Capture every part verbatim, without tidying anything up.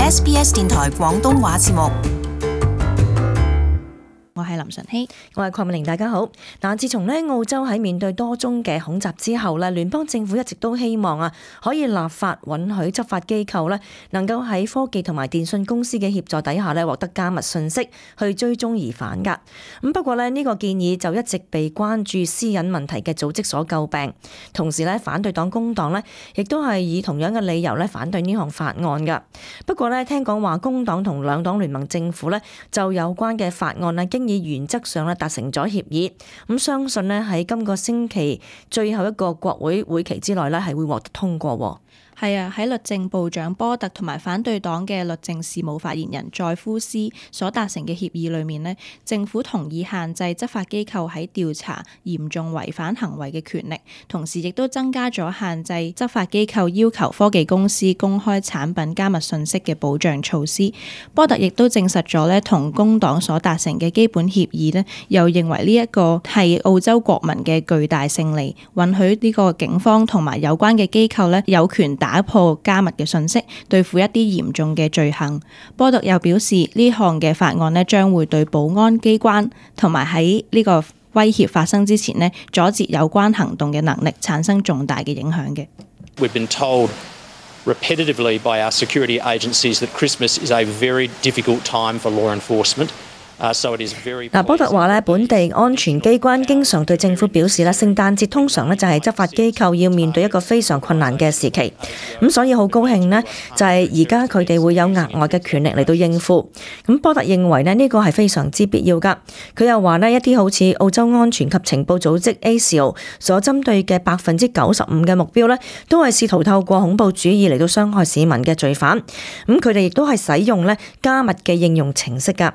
S B S 電台廣東話節目。我係林晨曦，我係鄺美玲，大家好。嗱，自從咧澳洲喺面對多宗嘅恐襲之後咧，聯邦政府一直都希望啊，可以立法允許執法機構咧，能夠喺科技同埋電信公司嘅協助底下咧，獲得加密信息去追蹤疑犯噶。咁不過咧，呢個建議就一直被關注私隱問題嘅組織所詬病。同時咧，反對黨工黨咧，亦都係以同樣嘅理由咧反對呢項法案噶。不過咧，聽講話工黨同兩黨聯盟政府咧，就有關嘅法案咧，經以原則上咧達成咗協議，咁相信咧喺今個星期最後一個國會會期之內咧係會獲得通過。係啊，喺律政部長波特同埋反對黨嘅律政事務發言人載夫斯所達成嘅協議裏面呢，政府同意限制執法機構喺調查嚴重違反行為嘅權力，同時亦都增加咗限制執法機構要求科技公司公開產品加密信息嘅保障措施。波特亦都證實咗呢同工黨所達成嘅基本協議呢，又認為呢一個係澳洲國民嘅巨大勝利，允許呢個警方同埋有關嘅機構呢有權打打破加密嘅信息，對付一啲嚴重嘅罪行。波特又表示，呢項嘅法案呢將會對保安機關同埋喺呢個威脅發生之前呢阻截有關行動嘅能力產生重大嘅影響嘅。We've been told repetitively by our security agencies that Christmas is a very difficult time for law enforcement.嗱，波特話咧，本地安全機關經常對政府表示咧，聖誕節通常咧就係執法機構要面對一個非常困難嘅時期，咁所以好高興呢，就係而家佢哋會有額外嘅權力嚟到應付。咁波特認為咧呢個係非常之必要噶。佢又話呢，一啲好似澳洲安全及情報組織 A S I O 所針對嘅百分之九十五嘅目標呢，都係試圖透過恐怖主義嚟到傷害市民嘅罪犯。咁佢哋亦都係使用咧加密嘅應用程式噶。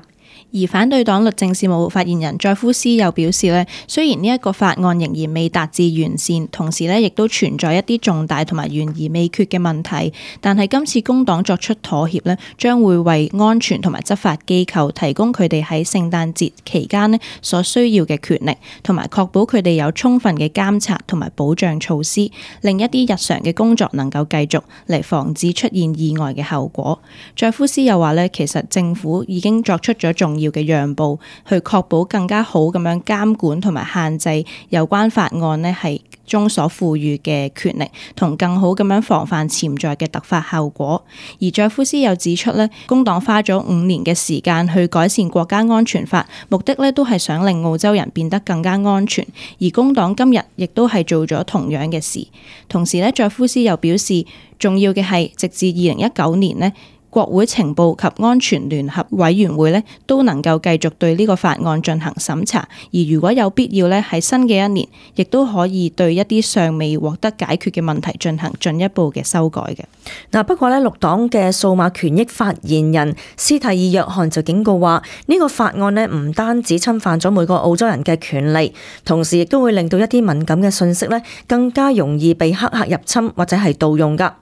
而反對黨律政事務發言人載夫斯又表示咧，雖然呢一個法案仍然未達至完善，同時咧亦都存在一啲重大同埋懸而未決嘅問題，但係今次工黨作出妥協咧，將會為安全同埋執法機構提供佢哋喺聖誕節期間咧所需要嘅權力，同埋確保佢哋有充分嘅監察同埋保障措施，令一啲日常嘅工作能夠繼續嚟防止出現意外嘅後果。載夫斯又話咧，其實政府已經作出咗重要要嘅讓步，去確保更加好咁樣監管同埋限制有關法案呢係中所賦予嘅權力，同更好咁樣防範潛在嘅突發後果。而載夫斯又指出呢，工黨花咗五年嘅時間去改善國家安全法，目的呢都係想令澳洲人變得更加安全。而工黨今日亦都係做咗同樣嘅事。同時呢，載夫斯又表示，重要嘅係直至二零一九年呢，國會情報及安全聯合委員會咧都能夠繼續對呢個法案進行審查，而如果有必要咧，喺新嘅一年，亦都可以對一啲尚未獲得解決嘅問題進行進一步嘅修改嘅。嗱，不過咧，綠黨嘅數碼權益發言人斯蒂爾約翰就警告話，呢個法案咧唔單止侵犯咗每個澳洲人嘅權利，同時亦都會令到一啲敏感嘅信息咧更加容易被黑客入侵或者係盜用㗎。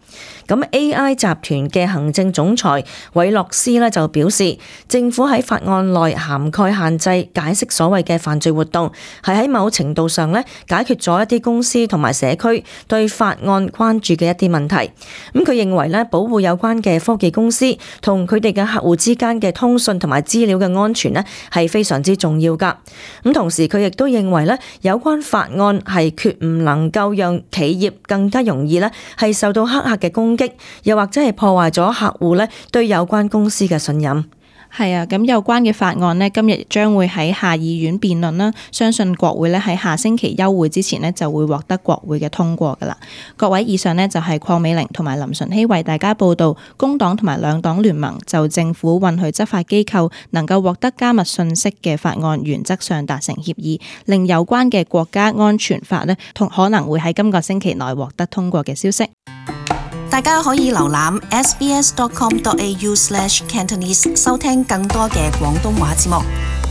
咁 A I 集團嘅行政總裁韋洛斯咧就表示，政府喺法案內涵蓋限制解釋所謂嘅犯罪活動，係喺某程度上咧解決咗一啲公司同埋社區對法案關注嘅一啲問題。咁佢認為咧，保護有關嘅科技公司同佢哋嘅客戶之間嘅通訊同埋資料嘅安全咧係非常之重要㗎。咁同時佢亦都認為咧，有關法案係決唔能夠讓企業更加容易咧係受到黑客嘅攻擊，又或者係破壞咗客戶咧對有關公司嘅信任。係啊，咁有關嘅法案呢，今日將會喺下議院辯論啦，相信國會呢喺下星期休會之前呢就會獲得國會嘅通過噶啦。各位，以上呢就係鄺美玲同埋林晨曦為大家報道，工黨同埋兩黨聯盟就政府允許執法機構能夠獲得加密信息嘅法案原則上達成協議，令有關嘅國家安全法呢同可能會喺今個星期內獲得通過嘅消息。大家可以瀏覽 s b s dot com dot a u slash cantonese 收聽更多嘅廣東話節目。